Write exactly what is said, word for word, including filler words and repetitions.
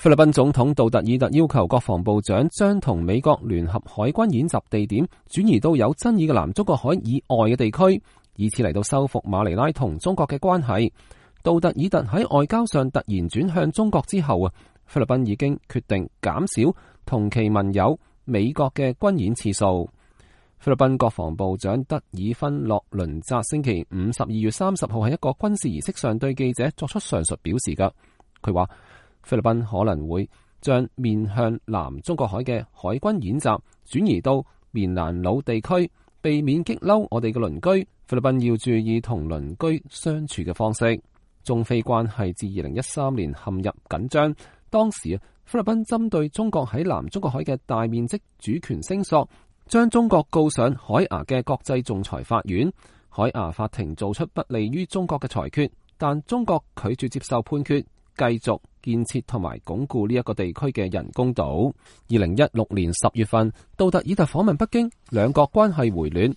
菲律賓總統杜特爾特要求國防部長將同美國聯合海軍演習地點轉移到有爭議嘅南中國海以外嘅地區，以此嚟到修復馬尼拉同中國嘅關係。杜特爾特喺外交上突然轉向中國之後啊，菲律賓已經決定減少同其盟友美國嘅軍演次數。菲律賓國防部長德爾芬洛倫扎星期五十二月三十號喺一個軍事儀式上對記者作出上述表示㗎。佢話菲律賓可能會將面向南中國海嘅海軍演習轉移到棉蘭老地區，避免激嬲我哋嘅鄰居。菲律賓要注意同鄰居相處嘅方式。中菲關係自二零一三年陷入緊張，當時菲律賓針對中國喺南中國海嘅大面積主權聲索，將中國告上海牙嘅國際仲裁法院。海牙法庭做出不利於中國嘅裁決，但中國拒絕接受判決，繼續建設同埋鞏固呢一個地區嘅人工島。二零一六年十月份，杜特爾特訪問北京，兩國關係回暖。